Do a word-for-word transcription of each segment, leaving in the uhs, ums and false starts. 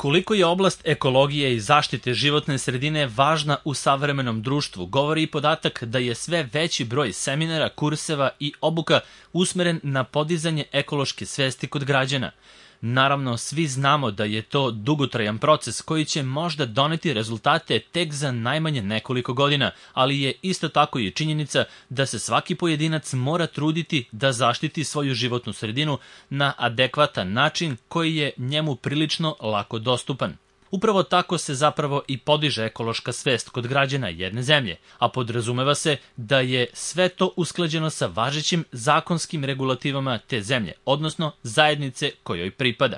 Koliko je oblast ekologije i zaštite životne sredine važna u savremenom društvu, govori i podatak da je sve veći broj seminara, kurseva i obuka usmeren na podizanje ekološke svesti kod građana. Naravno, svi znamo da je to dugotrajan proces koji će možda doneti rezultate tek za najmanje nekoliko godina, ali je isto tako i činjenica da se svaki pojedinac mora truditi da zaštiti svoju životnu sredinu na adekvatan način koji je njemu prilično lako dostupan. Upravo tako se zapravo i podiže ekološka svest kod građana jedne zemlje, a podrazumeva se da je sve to usklađeno sa važećim zakonskim regulativama te zemlje, odnosno zajednice kojoj pripada.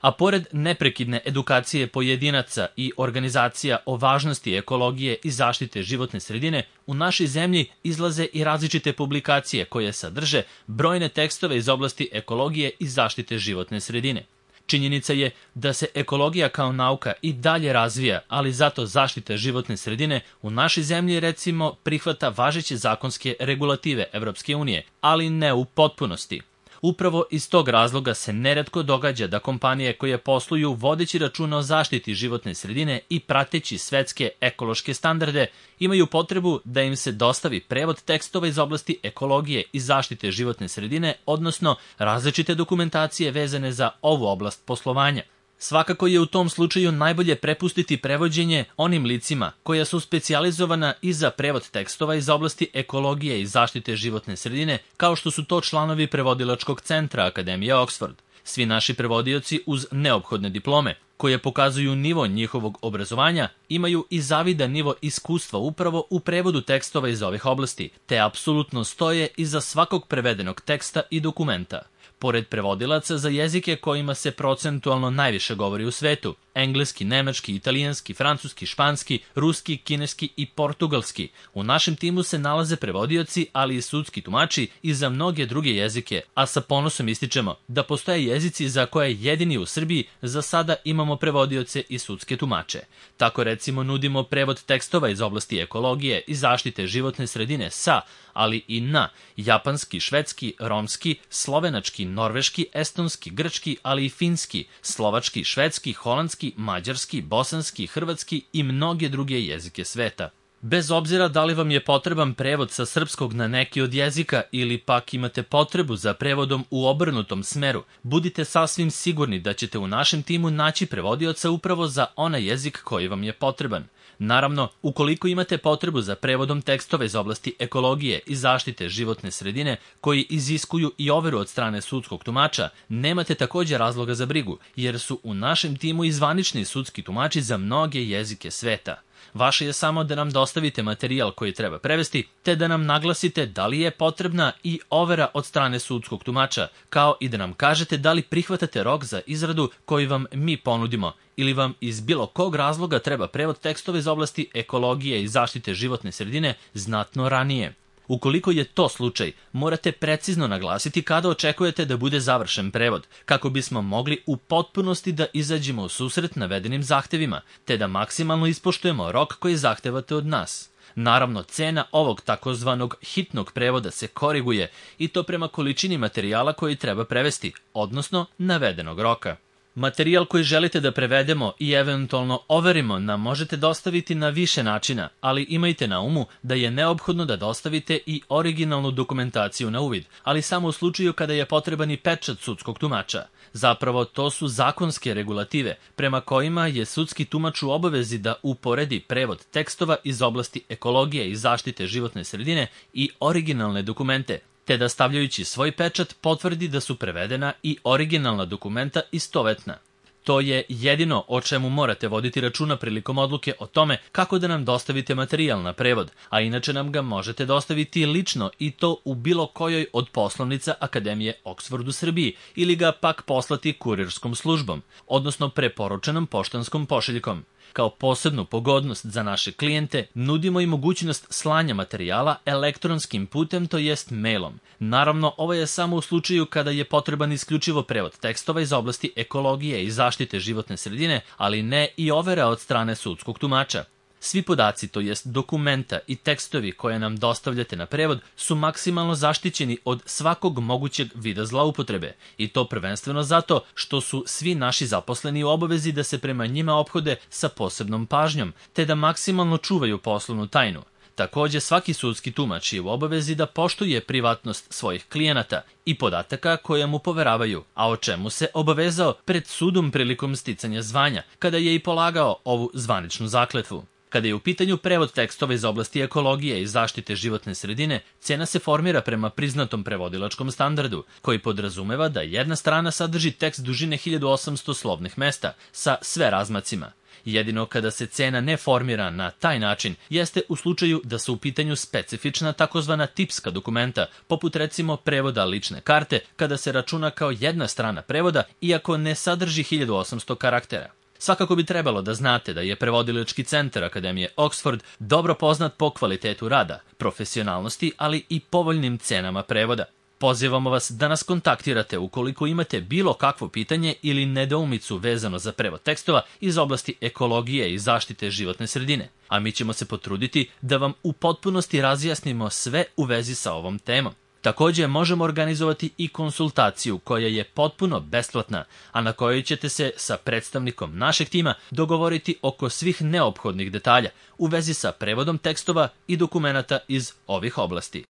A pored neprekidne edukacije pojedinaca i organizacija o važnosti ekologije i zaštite životne sredine, u našoj zemlji izlaze i različite publikacije koje sadrže brojne tekstove iz oblasti ekologije i zaštite životne sredine. Činjenica je da se ekologija kao nauka i dalje razvija, ali zato zaštita životne sredine u našoj zemlji recimo prihvata važeće zakonske regulative Evropske unije, ali ne u potpunosti. Upravo iz tog razloga se neretko događa da kompanije koje posluju vodeći računa o zaštiti životne sredine i prateći svetske ekološke standarde imaju potrebu da im se dostavi prevod tekstova iz oblasti ekologije i zaštite životne sredine, odnosno različite dokumentacije vezane za ovu oblast poslovanja. Svakako je u tom slučaju najbolje prepustiti prevođenje onim licima koja su specijalizovana i za prevod tekstova iz oblasti ekologije i zaštite životne sredine, kao što su to članovi prevodilačkog centra Akademije Oxford. Svi naši prevodioci uz neophodne diplome, koje pokazuju nivo njihovog obrazovanja, imaju i zavidan nivo iskustva upravo u prevodu tekstova iz ovih oblasti, te apsolutno stoje iza svakog prevedenog teksta i dokumenta. Pored prevodilaca za jezike kojima se procentualno najviše govori u svetu, engleski, nemački, italijanski, francuski, španski, ruski, kineski i portugalski, u našem timu se nalaze prevodioci, ali i sudski tumači i za mnoge druge jezike, a sa ponosom ističemo da postoje jezici za koje jedini u Srbiji za sada imamo prevodioce i sudske tumače. Tako recimo nudimo prevod tekstova iz oblasti ekologije i zaštite životne sredine sa, ali i na japanski, švedski, romski, slovenački, norveški, estonski, grčki, ali i finski, slovački, švedski, holandski, mađarski, bosanski, hrvatski i mnoge druge jezike sveta. Bez obzira da li vam je potreban prevod sa srpskog na neki od jezika ili pak imate potrebu za prevodom u obrnutom smeru, budite sasvim sigurni da ćete u našem timu naći prevodioca upravo za onaj jezik koji vam je potreban. Naravno, ukoliko imate potrebu za prevodom tekstova iz oblasti ekologije i zaštite životne sredine koji iziskuju i overu od strane sudskog tumača, nemate također razloga za brigu, jer su u našem timu i zvanični sudski tumači za mnoge jezike sveta. Vaše je samo da nam dostavite materijal koji treba prevesti, te da nam naglasite da li je potrebna i overa od strane sudskog tumača, kao i da nam kažete da li prihvatate rok za izradu koji vam mi ponudimo, ili vam iz bilo kog razloga treba prevod tekstova iz oblasti ekologije i zaštite životne sredine znatno ranije. Ukoliko je to slučaj, morate precizno naglasiti kada očekujete da bude završen prevod, kako bismo mogli u potpunosti da izađemo u susret navedenim zahtevima, te da maksimalno ispoštujemo rok koji zahtevate od nas. Naravno, cena ovog takozvanog hitnog prevoda se koriguje i to prema količini materijala koji treba prevesti, odnosno navedenog roka. Materijal koji želite da prevedemo i eventualno overimo nam možete dostaviti na više načina, ali imajte na umu da je neophodno da dostavite i originalnu dokumentaciju na uvid, ali samo u slučaju kada je potreban i pečat sudskog tumača. Zapravo, to su zakonske regulative, prema kojima je sudski tumač u obavezi da uporedi prevod tekstova iz oblasti ekologije i zaštite životne sredine i originalne dokumente, te da stavljajući svoj pečat potvrdi da su prevedena i originalna dokumenta istovetna. To je jedino o čemu morate voditi računa prilikom odluke o tome kako da nam dostavite materijal na prevod, a inače nam ga možete dostaviti lično i to u bilo kojoj od poslovnica Akademije Oxford u Srbiji ili ga pak poslati kurirskom službom, odnosno preporučenom poštanskom pošiljkom. Kao posebnu pogodnost za naše klijente nudimo i mogućnost slanja materijala elektronskim putem, to jest mailom. Naravno, ovo je samo u slučaju kada je potreban isključivo prevod tekstova iz oblasti ekologije i zaštite životne sredine, ali ne i overa od strane sudskog tumača. Svi podaci, to jest dokumenta i tekstovi koje nam dostavljate na prevod, su maksimalno zaštićeni od svakog mogućeg vida zloupotrebe, i to prvenstveno zato što su svi naši zaposleni u obavezi da se prema njima ophode sa posebnom pažnjom, te da maksimalno čuvaju poslovnu tajnu. Takođe, svaki sudski tumač je u obavezi da poštuje privatnost svojih klijenata i podataka koje mu poveravaju, a o čemu se obavezao pred sudom prilikom sticanja zvanja, kada je i polagao ovu zvaničnu zakletvu. Kada je u pitanju prevod tekstova iz oblasti ekologije i zaštite životne sredine, cena se formira prema priznatom prevodilačkom standardu, koji podrazumeva da jedna strana sadrži tekst dužine hiljadu osamsto slovnih mesta sa sve razmacima. Jedino kada se cena ne formira na taj način jeste u slučaju da su u pitanju specifična takozvana tipska dokumenta, poput recimo prevoda lične karte, kada se računa kao jedna strana prevoda, iako ne sadrži hiljadu osamsto karaktera. Svakako bi trebalo da znate da je Prevodilački centar Akademije Oxford dobro poznat po kvalitetu rada, profesionalnosti, ali i povoljnim cenama prevoda. Pozivamo vas da nas kontaktirate ukoliko imate bilo kakvo pitanje ili nedoumicu vezano za prevod tekstova iz oblasti ekologije i zaštite životne sredine, a mi ćemo se potruditi da vam u potpunosti razjasnimo sve u vezi sa ovom temom. Takođe, možemo organizovati i konsultaciju koja je potpuno besplatna, a na kojoj ćete se sa predstavnikom našeg tima dogovoriti oko svih neophodnih detalja u vezi sa prevodom tekstova i dokumenata iz ovih oblasti.